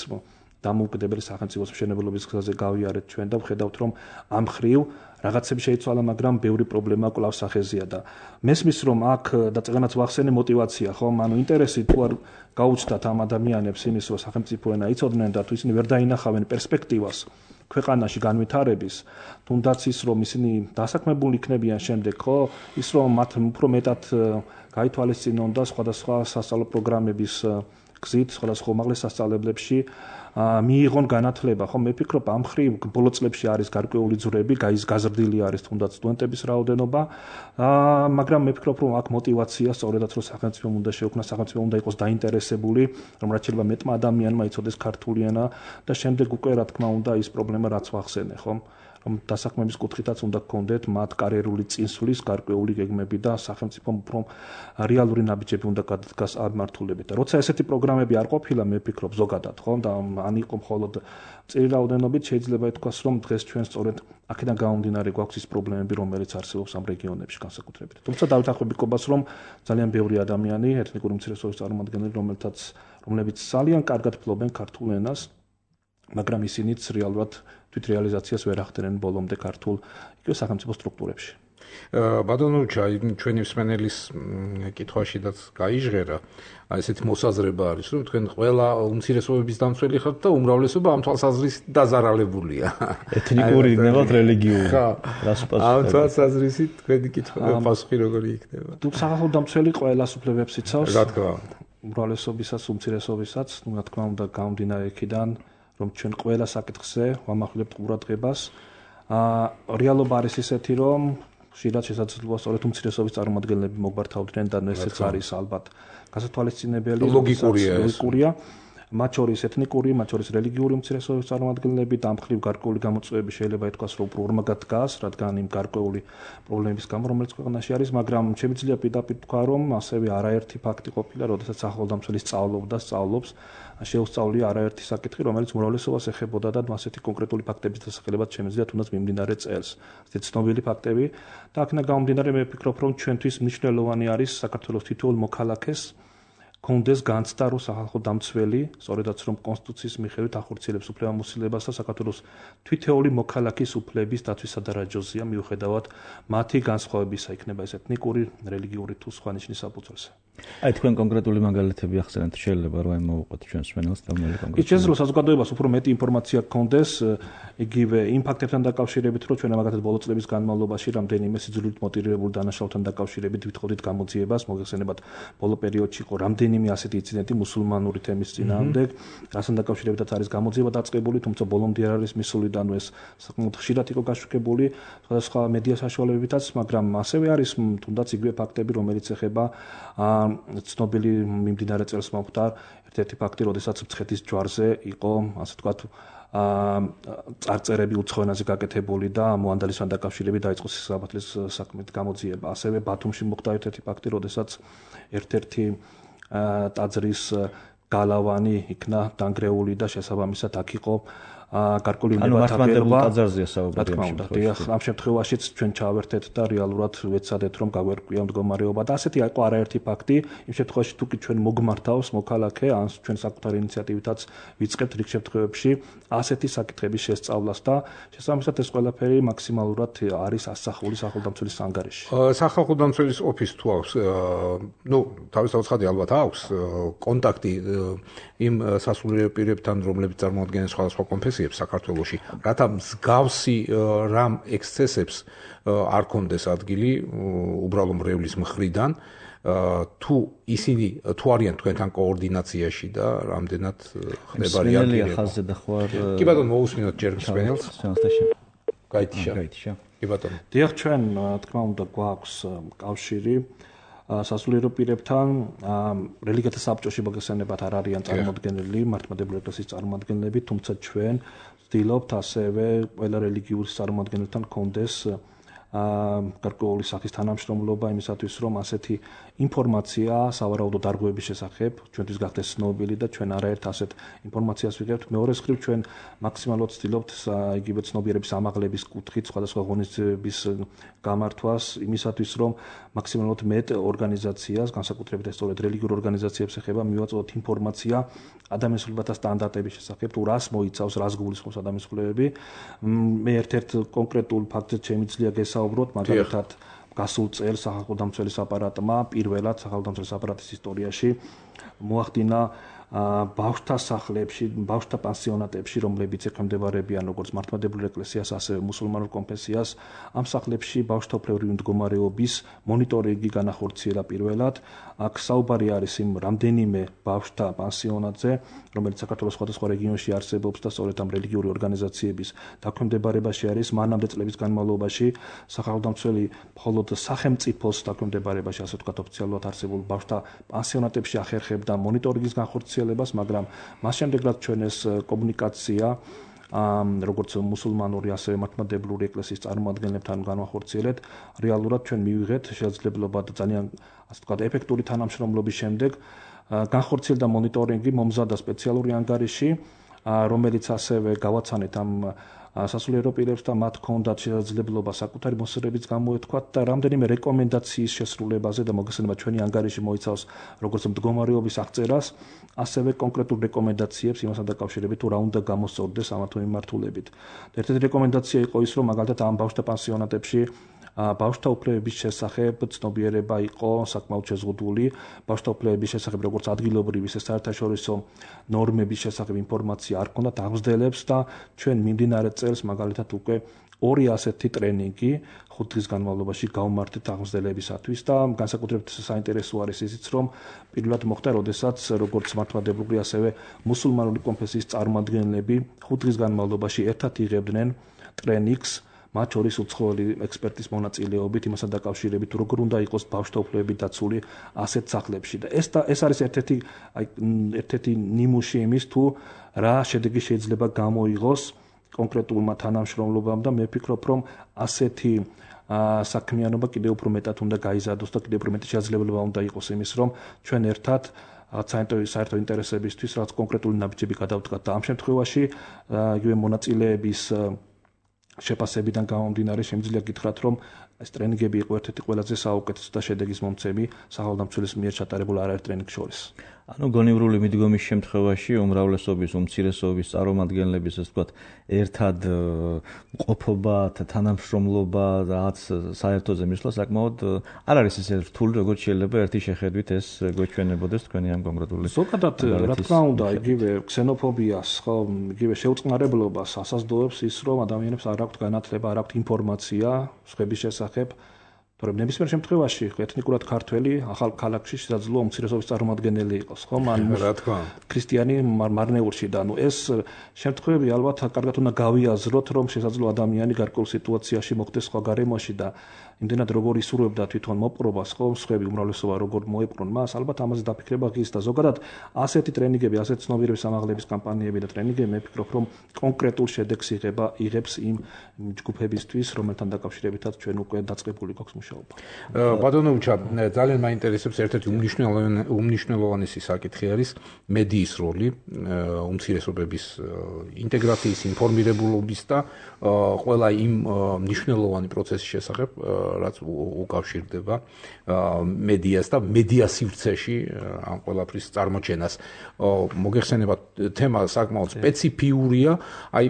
დამოუკიდებელი სახელმწიფოს მშენებლობის გზაზე გავიარეთ ჩვენ და ვხედავთ, რომ ამ ხრივ რაღაცები შეიცვალა, მაგრამ ბევრი პრობლემა კვლავ სახეზეა და მესმის, რომ აქ და წეგანაც ვახსენე мотиваცია, ხომ? ანუ ინტერესი თუ არ გაუჩნდათ ამ ადამიანებს იმის, რომ სახელმწიფო ენა იცოდნენ და თუ ისინი ვერ დაინახავენ პერსპექტივას ქვეყანაში განვითარების, თუნდაც ის, რომ ისინი დასაქმებული იქნებიან შემდეგ, ხო? ის, რომ მათ უფრო მეტად გაითვალისწინონ და სხვადასხვა სასწავლო პროგრამების გზით, სხვადასხვა უმაღლეს სასწავლებლებში მიიღონ განათლება, ხო, მე ვფიქრობ, ამ ხრივ ბოლო წლებში არის გარკვეული ძვრები, გაზრდილი არის თუნდაც სტუდენტების რაოდენობა, მაგრამ მე ვფიქრობ, რომ აქ мотиваცია სწორედაც რომ სახელმწიფომ უნდა შეუქმნას, სახელმწიფო უნდა იყოს დაინტერესებული, რომ რაც შეიძლება მეტმა ადამიანმა იცოდეს ქართული ენა და შემდეგ უკვე რა თქმა უნდა ის პრობლემა რაც ვახსენე, ხო? რომ დასაქმების კუთხითაც უნდა გქონდეთ მათ კარიერული წინსვლის გარკვეული გეგმები და სახელმწიფომ უფრო რეალური ნაბიჯები უნდა გადადგას ამ მართულებით. და როცა ესეთი პროგრამები არ ყოფილა, მე ვფიქრობ ზოგადად, ხო, და ან იყო მხოლოდ წელი რაოდენობით შეიძლება ითქვას, რომ დღეს ჩვენ სწორედ აქედან გამომდინარე გვაქვს ის პრობლემები, რომელიც არსებობს ამ რეგიონებში განსაკუთრებით. თუმცა დავითანხმები გქობას, რომ ძალიან ბევრი ადამიანი, ეთნიკური უმცირესობის წარმომადგენლები, რომლებიც ძალიან კარგად ფლობენ ქართულ ენას, მაგრამ ისინიც რეალურად თვითრეალიზაციას ვერ ახდენენ ბოლომდე ქართულ იგივე სახელმწიფო სტრუქტურებში. ბატონო ჩაი ჩვენი მსმენელის კითხვაშიდაც გაიჟღერა, ესეთი მოსაზრება არის, რომ თქვენ ყველა უმცირესობების დამცველი ხართ და უმრავლესობა ამ თვალსაზრისით დაზარალებულია. ეთნიკური იქნებათ რელიგიური. ამ თვალსაზრისით თქვენი კითხვა პასუხი როგორი იქნება? თუ სახალხო დამცველი ყველას უფლებებს იცავს. რა თქმა უნდა. უმრავლესობისაც, უმცირესობისაც, რა თქმა უნდა, გამომდინარე იქიდან რომ ჩვენ ყველა საკითხზე ვამახვილებთ ყურადღებას. რეალობა არის ისეთი, რომ ხშირად შესაძლოა სწორედ უმცირესობის წარმომადგენლები მოგვართავდნენ და ესეც არის ალბათ გასათვალისწინებელი, ლოგიკურია. მათ შორის ეთნიკური, მათ შორის რელიგიური უმცირესობის წარმომადგენლები და ამ ხრივ გარკვეული გამოწვევები შეიძლება ითქვას, რომ უფრო ორმაგად დგას, რადგან იმ გარკვეული პრობლემების გამო, რომელიც ქვეყანაში არის, მაგრამ შემიძლია პირდაპირ თქვა, რომ ასევე არაერთი ფაქტი ყოფილა, როდესაც სახელმწიფო სწავლობს, შეუსწავლია არაერთი საკითხი, რომელიც უმრავლესობას ეხებოდა და ასეთი კონკრეტული ფაქტების დასახელებაც შემიძლია თუნდაც მიმდინარე წელს. ასეთი ცნობილი ფაქტები და აქედან გამომდინარე მე ვფიქრობ, რომ ჩვენთვის მნიშვნელოვანი არის საქართველოს თითოეულ მოქალაქეს კონდეს განცდა, რომ სახალხო დამცველი, სწორედაც რომ კონსტიტუციის მიხედვით ახორციელებს უფლებამოსილებას და საქართველოს თითოეული მოქალაქის უფლების დაცვისა და რაჯოზია, მიუხედავად მათი განსხვავებისა, იქნება ეს ეთნიკური, რელიგიური თუ სხვა ნიშნის საფუძველზე. აი თქვენ კონკრეტული მაგალითები ახსენეთ, შეიძლება რომ მოვუყოთ ჩვენს მსმენელს და მე კონკრეტულად. ის შესაძლოა საზოგადოებას უფრო მეტი ინფორმაცია გქონდეს, იგივე იმ ფაქტებთან დაკავშირებით, რომ ჩვენ მაგათაც ბოლო წლების განმავლობაში რამდენიმე სიძულვილით მოტივირებულ დანაშაულთან დაკავშირებით ვითხოვდით გამოძიებას, მოგეხსენებათ, ბოლო პერიოდში იყო რამდენიმე ასეთი ინციდენტი მუსულმანური თემის წინააღმდეგ, რასთან დაკავშირებითაც არის გამოძიება დაწყებული, თუმცა ბოლომდე არ არის მისული და ეს საკმაოდ ხშირად იყო გაშუქებული სხვადასხვა მედია საშუალებებითაც, მაგრამ ასევე არის თუნდაც იგივე ფაქტები, რომელიც ეხება ცნობილი მიმდინარე წელს მომხდარ ერთ-ერთი ფაქტი, როდესაც მცხეთის ჯვარზე იყო, ასე ვთქვათ, წარწერები უცხო ენაზე გაკეთებული და მოანდალისთან დაკავშირებით დაიწყო სისხლისღაბათლის საქმით გამოძიება. ასევე ბათუმში მოხდა ერთ-ერთი ფაქტი, როდესაც ერთ-ერთი ტაძრის გალავანი იქნა დანგრეული და შესაბამისად აქ იყო გარკვეული უნებათაღელობა ტაძარზეა საუბარი. ამ შემთხვევაშიც ჩვენ ჩავერთეთ და რეალურად ვეცადეთ, რომ გაგვერკვია მდგომარეობა და ასეთი იყო არაერთი ფაქტი. იმ შემთხვევაში თუ კი ჩვენ მოგმართავს მოქალაქე, ან ჩვენ საკუთარი ინიციატივითაც ვიწყებთ რიგ შემთხვევებში ასეთი საკითხების შესწავლას და შესაბამისად ეს ყველაფერი მაქსიმალურად არის ასახული სახელმწიფოს ანგარიში. სახალხო დამცველის ოფისს თუ აქვს, თავისთავად ცხადი ალბათ აქვს კონტაქტი იმ სასულიერო პირებთან, რომლებიც წარმოადგენენ სხვადასხვა კონფესიებს საქართველოში, რათა მსგავსი რამ ექსცესებს არ კონდეს ადგილი უბრალო მრევლის მხრიდან თუ ისინი თუ არიან თქვენთან კოორდინაციაში და რამდენად ხდება რეაგირება. ხაზზე და ხوار. კი ბატონო, მოусმინოთ ჯერ სპენელს. გაითიშა. კი ბატონო. დიახ, ჩვენ თქმა უნდა გვაქვს კავშირი სასულიერო პირებთან, რელიგიათა საბჭოში მოგესალმებათ არ არიან წარმოადგენელი მართლმადიდებლური ეკლესიის წარმოადგენლები, თუმცა ჩვენ ვცდილობთ ასევე ყველა რელიგიურ წარმოადგენელთან კონდეს გარკვეული სახის თანამშრომლობა იმისათვის, რომ ასეთი ინფორმაცია სავარაუდო დარღვევების შესახებ ჩვენთვის გახდეს ცნობილი და ჩვენ არაერთ ასეთ ინფორმაციას ვიღებთ. მეორე მხრივ ჩვენ მაქსიმალურად ვცდილობთ იგივე ცნობიერების ამაღლების კუთხით სხვადასხვა ღონისძიებების გამართვას იმისათვის, რომ მაქსიმალურად მეტ ორგანიზაციას, განსაკუთრებით სწორედ რელიგიურ ორგანიზაციებს ეხება მივაწოდოთ ინფორმაცია ადამიანის ცვლილებათა სტანდარტების შესახებ, თუ რას მოიცავს, რას გულისხმობს ადამიანის ცვლილებები. მე ერთ-ერთ კონკრეტულ ფაქტზე შემიძლია გესაუბროთ, მაგალითად გასულ წელს სახალხო დამცველის აპარატმა პირველად სახალხო დამცველის აპარატის ისტორიაში მოახდინა ბავშვთა სახლებში, ბავშვთა პანსიონატებში, რომლებიც ექვემდებარებიან როგორც მართლმადიდებლურ ეკლესიას, ასევე მუსულმანურ კონფესიას, ამ სახლებში ბავშვთა უფლებრივი მდგომარეობის მონიტორინგი განახორციელა პირველად. აქ საუბარი არის იმ რამდენიმე ბავშვთა პანსიონატზე, რომელიც საქართველოს სხვადასხვა რეგიონში არსებობს და სწორედ ამ რელიგიური ორგანიზაციების დაქვემდებარებაში არის. მანამდე წლების განმავლობაში სახალხო დამცველი მხოლოდ სახელმწიფოს დაქვემდებარებაში, ასე ვთქვათ, ოფიციალურად არსებულ ბავშვთა პანსიონატებში ახერხებდა მონიტორინგის განხორციელებას, მაგრამ მას შემდეგ რაც ჩვენ ეს კომუნიკაცია როგორც მუსულმანური, ასევე მართლმადიდებლური ეკლესიის წარმოადგენლებთან განვახორციელეთ, რეალურად ჩვენ მივიღეთ შესაძლებლობა და ძალიან ასე ვთქვათ ეფექტური თანამშრომლობის შემდეგ განხორციელდა მონიტორინგი, მომზადდა სპეციალური ანგარიში, რომელიც ასევე გავაცანეთ ამ სასულიერო პირებს და მათ ჰქონდათ შესაძლებლობა საკუთარი მოსაზრებიც გამოეთქვათ და რამდენიმე რეკომენდაციის შესრულებაზე და მოგესალმება ჩვენი ანგარიში მოიცავს როგორც მდგომარეობის აღწერას, ასევე კონკრეტულ რეკომენდაციებს იმასთან დაკავშირებით, თუ რა უნდა გამოსწორდეს ამა თუ იმ მიმართულებით. ერთ-ერთი რეკომენდაცია იყო ის, რომ მაგალითად ამ ბავშვთა პანსიონატებში ბავშვთა უფლებების შესახებ ცნობიერება იყო საკმაოდ შეზღუდული, ბავშვთა უფლებების შესახებ როგორც ადგილობრივი, ისე საერთაშორისო ნორმების შესახებ ინფორმაცია არ ჰქონდათ აღმზრდელებს და ჩვენ მიმდინარე წელს მაგალითად უკვე 2 ასეთი ტრენინგი 5 დღის განმავლობაში გავმართეთ აღმზრდელებისათვის და განსაკუთრებით საინტერესო არის ისიც, რომ პირველად მოხდა, როდესაც როგორც მართლმადიდებლური, ასევე მუსულმანური კონფესიის წარმოადგენლები 5 დღის განმავლობაში ერთად იღებდნენ ტრენინგს, მათ შორის უცხოელი ექსპერტის მონაწილეობით, იმასთან დაკავშირებით, როგორ უნდა იყოს ბავშვთა უფლებები დაცული ასეთ სახლებში. და ეს არის ერთ-ერთი ნიმუში იმის, თუ რა შედეგი შეიძლება გამოიღოს კონკრეტულმა თანამშრომლობამ და მე ვფიქრობ, რომ ასეთი საქმიანობა კიდევ უფრო მეტად უნდა გაიზარდოს და კიდევ უფრო მეტი შესაძლებლობა უნდა იყოს იმის, რომ ჩვენ ერთად საერთო ინტერესებისთვის რაც კონკრეტული ნაბიჯები გადავდგათ და ამ შემთხვევაში იგივე მონაწილეების შეფასებიდან გამომდინარე შემიძლია გითხრათ, რომ ეს ტრენინგები იყო ერთ-ერთი ყველაზე საუკეთესო და შედეგის მომცემი სახალხო დამცველის მიერ ჩატარებულ არაერთ ტრენინგ შორის. ანუ გონივრული მიდგომის შემთხვევაში უმრავლესობის, უმცირესობის წარმომადგენლების, ასე ვთქვათ, ერთად ყოფობა, თანამშრომლობა, რაც საერთოზე მისვლა საკმაოდ არ არის ესე რთული, როგორც შეიძლება ერთი შეხედვით ეს გვეჩვენებოდეს თქვენი ამ კონკრეტული. ზოგადად, რა თქმა უნდა, იგივე ქსენოფობიას, ხო, იგივე შეუწყნარებლობას ასაზრდოებს ის, რომ ადამიანებს არ აქვთ განათლება, არ აქვთ ინფორმაცია სხვების შესახებ. თორემ ნებისმიერ შემთხვევაში ეთნიკურად ქართველი ახალ ქალაქში შესაძლოა უმცირესობის წარმომადგენელი იყოს, ხო? მან ქრისტიანი მარნეულში და ეს შემთხვევები ალბათ კარგად უნდა გავიაზროთ, რომ შესაძლოა ადამიანი გარკვეულ სიტუაციაში მოხდეს სხვა გარემოში და იმდენად როგორ ისურვებდა თვითონ მოპყრობას, ხო, სხვები უმრავლესობა როგორ მოეპყრონ მას, ალბათ ამაზე დაფიქრება ღირს და ზოგადად ასეთი ტრენინგები, ასეთი ცნობიერების ამაღლების კამპანიები და ტრენინგები მე ვფიქრობ, რომ კონკრეტულ შედეგს იღებს იმ ჯგუფებისთვის, რომელთან დაკავშირებითაც ჩვენ უკვე დაწყებული გვაქვს მუშაობა. ბატონო უჩა, ძალიან მაინტერესებს ერთ-ერთი უმნიშვნელოვანესი საკითხი არის მედიის როლი უმცირესობების ინტეგრაციის, ინფორმირებულობის და ყველა იმ მნიშვნელოვანი პროცესის შესახებ, რაც უკავშირდება მედიას და მედია სივრცეში ამ ყველაფრის წარმოჩენას. მოგეხსენება თემა საკმაოდ სპეციფიურია, აი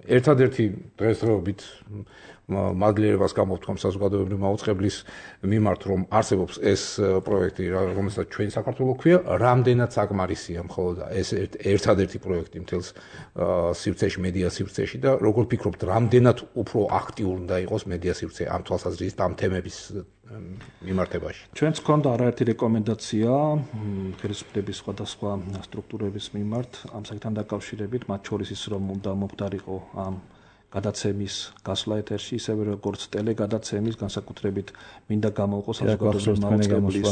ერთადერთი დღესდღეობით მადლიერებას გამოვთქვამ საზოგადოებრივი მაუწყებლის მიმართ, რომ არსებობს ეს პროექტი, რომელსაც ჩვენ საქართველოს ქვია, რამდენად საკმარისია მხოლოდ ეს ერთადერთი პროექტი მთელს სივრცეში, მედია სივრცეში და როგორ ფიქრობთ, რამდენად უფრო აქტიური უნდა იყოს მედია სივრცე ამ თვალსაზრისით ამ თემების მიმართებაში? ჩვენც გვქონდა არაერთი რეკომენდაცია ხელისუფლების სხვადასხვა სტრუქტურების მიმართ ამ საკითხთან დაკავშირებით, მათ შორის ის, რომ უნდა მომხდარიყო ამ გადაცემის გასვლა ეთერში, ისევე როგორც ტელეგადაცემის, განსაკუთრებით მინდა გამოვყო საზოგადოებრივი მაუწყებლის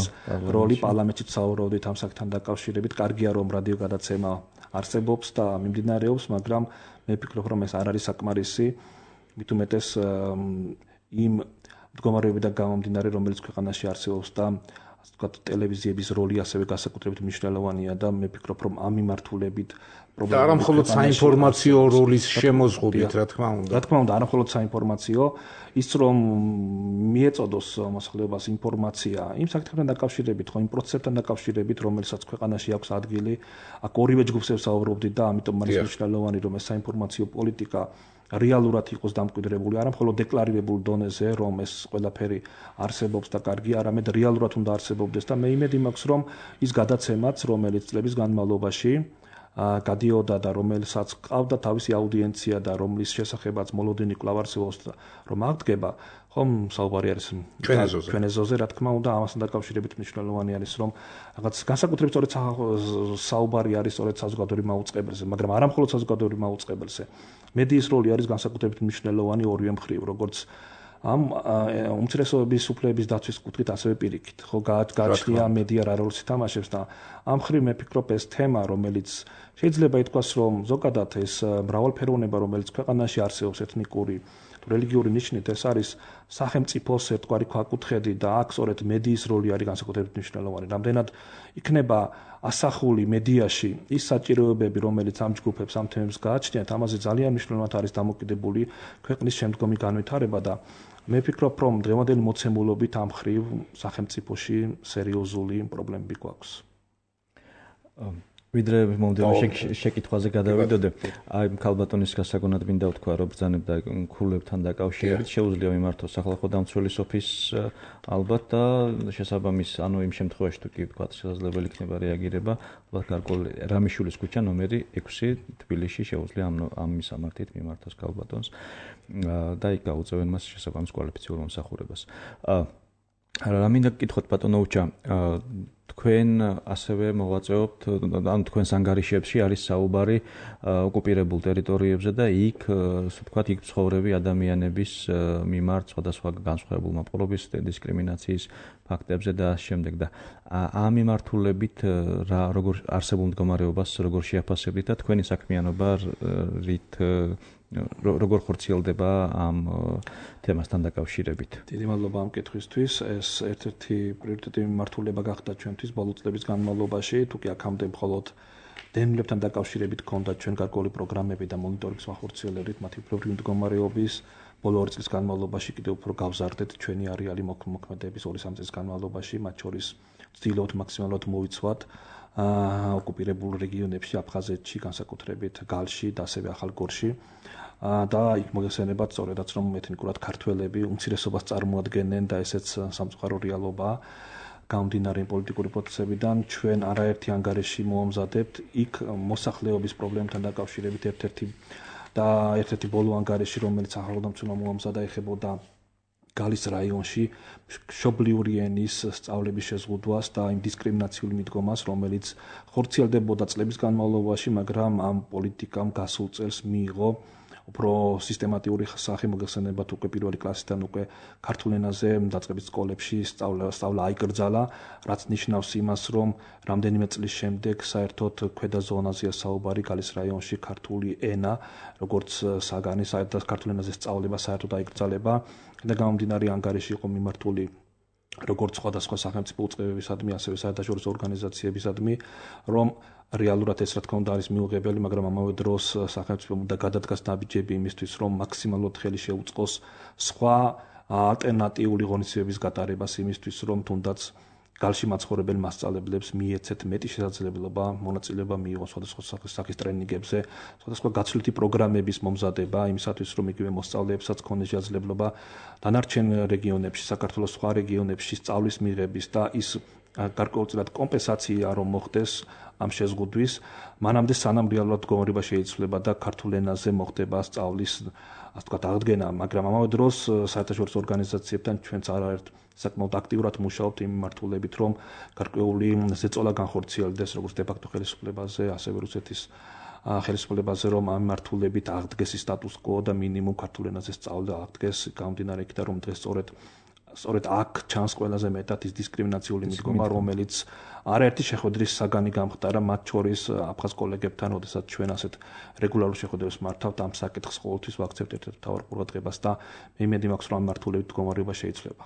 როლი პარლამენტში საუბრობდით ამ საკითხთან დაკავშირებით. კარგია, რომ რადიო გადაცემა არსებობს და მიმდინარეობს, მაგრამ მე ვფიქრობ, რომ ეს არ არის საკმარისი, მით უმეტეს იმ მდგომარეობიდან გამომდინარე, რომელიც ქვეყანაში არსებობს და ასე ვთქვათ, ტელევიზიების როლი ასევე განსაკუთრებით მნიშვნელოვანია და მე ვფიქრობ, რომ ამ მიმართულებით და არა მხოლოდ საინფორმაციო როლის შემოზღუდით, რა თქმა უნდა. რა თქმა უნდა, არა მხოლოდ საინფორმაციო, ის რომ მიეწოდოს მოსახლეობას ინფორმაცია იმ საკითხებთან დაკავშირებით, იმ პროცესებთან დაკავშირებით, რომელსაც ქვეყანაში აქვს ადგილი, აქ ორივე ჯგუფს ვსაუბრობდით და ამიტომ არის მნიშვნელოვანი, რომ ეს საინფორმაციო პოლიტიკა რეალურად იყოს დამკვიდრებული, არა მხოლოდ დეკლარირებულ დონეზე, რომ ეს ყველაფერი არსებობს და კარგია, არამედ რეალურად უნდა არსებობდეს და მე იმედი მაქვს, რომ ის გადაცემაც, რომელიც წლების განმავლობაში გადიოდა და რომელსაც ყავდა თავისი აუდიენცია და რომლის შესახებაც მოლოდინი კვლავ არსებობს რომ აღდგება, ხომ საუბარი არის ჩვენ ეზოზე, რა თქმა უნდა, ამასთან დაკავშირებით მნიშვნელოვანი არის, რომ რაღაც განსაკუთრებით სწორედ საუბარი არის სწორედ საზოგადოებრივ მაუწყებელზე, მაგრამ არა მხოლოდ საზოგადოებრივ მაუწყებელზე. მედიის როლი არის განსაკუთრებით მნიშვნელოვანი ორივე მხრივ, როგორც ამ უმცირესობების უფლებების დაცვის კუთხით, ასევე პირიქით. ხო გააჩნია მედია რა როლს ითამაშებს და ამ მხრივ მე ვფიქრობ ეს თემა, რომელიც შეიძლება ითქვას, რომ ზოგადად ეს მრავალფეროვნება, რომელიც ქვეყანაში არსებობს ეთნიკური რელიგიური ნიშნით, ეს არის სახელმწიფოს ერთგვარი ქვაკუთხედი და აქ სწორედ მედიის როლი არის განსაკუთრებით მნიშვნელოვანი. რამდენად იქნება ასახული მედიაში ის საჭიროებები, რომელიც ამ ჯგუფებს ამ თემებს გააჩნიათ, ამაზე ძალიან მნიშვნელოვნად არის დამოკიდებული ქვეყნის შემდგომი განვითარება და მე ვფიქრობ, რომ დღევანდელი მოცემულობით ამ მხრივ სახელმწიფოში სერიოზული პრობლემები გვაქვს. ვიდრე მომდევნო შეკითხვაზე გადავიდოდე, აი ქალბატონის გასაგონად მინდა ვთქვა, რომ ბრძანებ და ქულებთან დაკავშირებით შეუძლია მიმართოს სახალხო დამცველის ოფისს ალბათ და შესაბამის, ანუ იმ შემთხვევაში თუ კი ვთქვა, შესაძლებელი იქნება რეაგირება, ალბათ გარკვეული რამიშვილის ქუჩა ნომერი 6 თბილისში შეუძლია ამ მისამართით მიმართოს ქალბატონს და იქ გაუწევენ მას შესაბამის კვალიფიციურ მომსახურებას. რა მინდა გკითხოთ ბატონო უჩა, თქვენ ასევე მოვაწეობთ, ანუ თქვენს ანგარიშებში არის საუბარი ოკუპირებულ ტერიტორიებზე და იქ, ასე ვთქვათ, იქ ცხოვრები ადამიანების მიმართ სხვადასხვა განსხვავებულ მოპყრობის დისკრიმინაციის ფაქტებზე და ამ შემდეგ და ამ მიმართულებით როგორ არსებულ მდგომარეობას როგორ შეაფასებთ და თქვენი საქმიანობა რით როგორ ხორციელდება ამ თემასთან დაკავშირებით. დიდი მადლობა ამ კითხვისთვის. ეს ერთ-ერთი პრიორიტეტი მიმართულება გახდა ჩვენთვის ბოლო წლების განმავლობაში, თუკი აქამდე მხოლოდ დევნილებთან დაკავშირებით ჰქონდა ჩვენ გარკვეული პროგრამები და მონიტორინგის მახორციელებდით მათი უფლებრივი მდგომარეობის ბოლო 2 წლის განმავლობაში კიდევ უფრო გავზარდეთ ჩვენი არეალი მოქმედების 2-3 წლის განმავლობაში, მათ შორის ვცდილობთ მაქსიმალურად მოვიცვათ ოკუპირებულ რეგიონებში, აფხაზეთში, განსაკუთრებით გალში და ასევე ახალგორში. და იქ მოგეხსენებათ სწორედაც, რომ ეთნიკურად ქართველები უმცირესობას წარმოადგენენ და ესეც სამწუხარო რეალობაა. გამომდინარე პოლიტიკური პროცესებიდან ჩვენ არაერთი ანგარიში მოამზადებთ იქ მოსახლეობის პრობლემებთან დაკავშირებით ერთ-ერთი ბოლო ანგარიში, რომელიც ახალგაზრდამ მოამზადა, ეხებოდა გალის რაიონში მშობლიური ენის სწავლების შეზღუდვას და იმ დისკრიმინაციული მიდგომას, რომელიც ხორციელდებოდა წლების განმავლობაში, მაგრამ ამ პოლიტიკამ გასულ წელს მიიღო უფრო სისტემატიური სახე, მოგეხსენებათ უკვე პირველი კლასიდან უკვე ქართულ ენაზე დაწყებით სკოლებში სწავლა აიკრძალა, რაც ნიშნავს იმას, რომ რამდენიმე წლის შემდეგ საერთოდ ქვედა ზონაზეა საუბარი გალის რაიონში ქართული ენა, როგორც საგანი, საერთოდ ქართულ ენაზე სწავლება საერთოდ აიკრძალება და გამომდინარე ანგარიში იყო მიმართული როგორც სხვადასხვა სახელმწიფო უწყებებისადმი, ასევე საერთაშორისო ორგანიზაციებისადმი, რომ რეალურად ეს რა თქმა უნდა არის მიუღებელი, მაგრამ ამავე დროს სახელმწიფომ უნდა გადადგას ნაბიჯები იმისთვის, რომ მაქსიმალურად ხელი შეუწყოს სხვა ალტერნატიული ღონისძიებების გატარებას იმისთვის, რომ თუნდაც გალში მაცხოვრებელ მასწავლებლებს მიეცეთ მეტი შესაძლებლობა მონაწილეობა მიიღონ სხვადასხვა სახის ტრენინგებზე, სხვადასხვა გაცვლითი პროგრამების მომზადება იმისათვის, რომ იგივე მოსწავლეებსაც ქონდეს შესაძლებლობა დანარჩენ რეგიონებში, საქართველოს სხვა რეგიონებში სწავლის მიღების და ის გარკვეულწილად კომპენსაცია რომ მოხდეს ამ შეზღუდვის, მანამდე სანამ რეალურად მდგომარეობა შეიცვლება და ქართულ ენაზე მოხდება სწავლის ასე ვთქვათ აღდგენა, მაგრამ ამავე დროს საერთაშორისო ორგანიზაციებთან ჩვენც არაერთ საკმაოდ აქტიურად მუშაობთ იმ მიმართულებით, რომ გარკვეული ზეწოლა განხორციელდეს როგორც დე-ფაქტო ხელისუფლებაზე, ასევე რუსეთის ხელისუფლებაზე, რომ ამ მიმართულებით აღდგეს სტატუს კო და მინიმუმ ქართულ ენაზე სწავლა აღდგეს, გამომდინარე იქიდან, რომ დღეს სწორედ აქ ჩანს ყველაზე მეტად ის დისკრიმინაციული მიდგომა, რომელიც არაერთი შეხვედრის საგანი გამხდარა მათ შორის აფხაზ კოლეგებთან, როდესაც ჩვენ ასეთ რეგულარულ შეხვედრებს მართავთ ამ საკითხს ყოველთვის ვაქცევთ ერთ-ერთ მთავარ ყურადღებას და მე იმედი მაქვს, რომ ამ მიმართულებით მდგომარეობა შეიცვლება.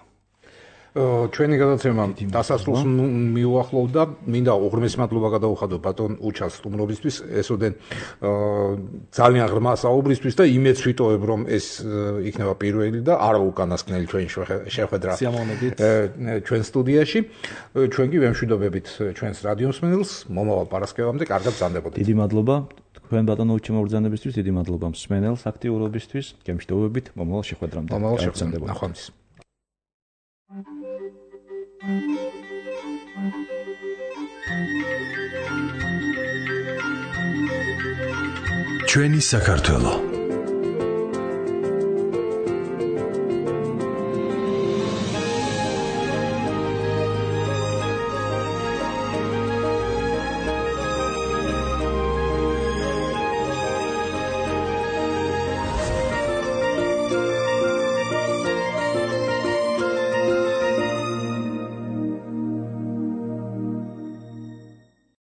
ჩვენი გადაცემა დასასრულს მიუახლოვდა, მინდა უღრმესი მადლობა გადაუხადო ბატონ უჩას სტუმრობისთვის, ესოდენ ძალიან ღრმა საუბრისთვის და იმედს ვიტოვებ, რომ ეს იქნება პირველი და არა უკანასკნელი ჩვენი შეხვედრა ჩვენ სტუდიაში. ჩვენ კი ვემშვიდობებით ჩვენს რადიომსმენელს, მომავალ პარასკევამდე კარგად ბრძანდებოდეთ. დიდი მადლობა თქვენ ბატონო უჩა მოგზაურობისთვის, დიდი მადლობა მსმენელს აქტიურობისთვის, გემშვიდობებით მომავალ შეხვედრამდე. ნახვამდის. ჩვენი საქართველო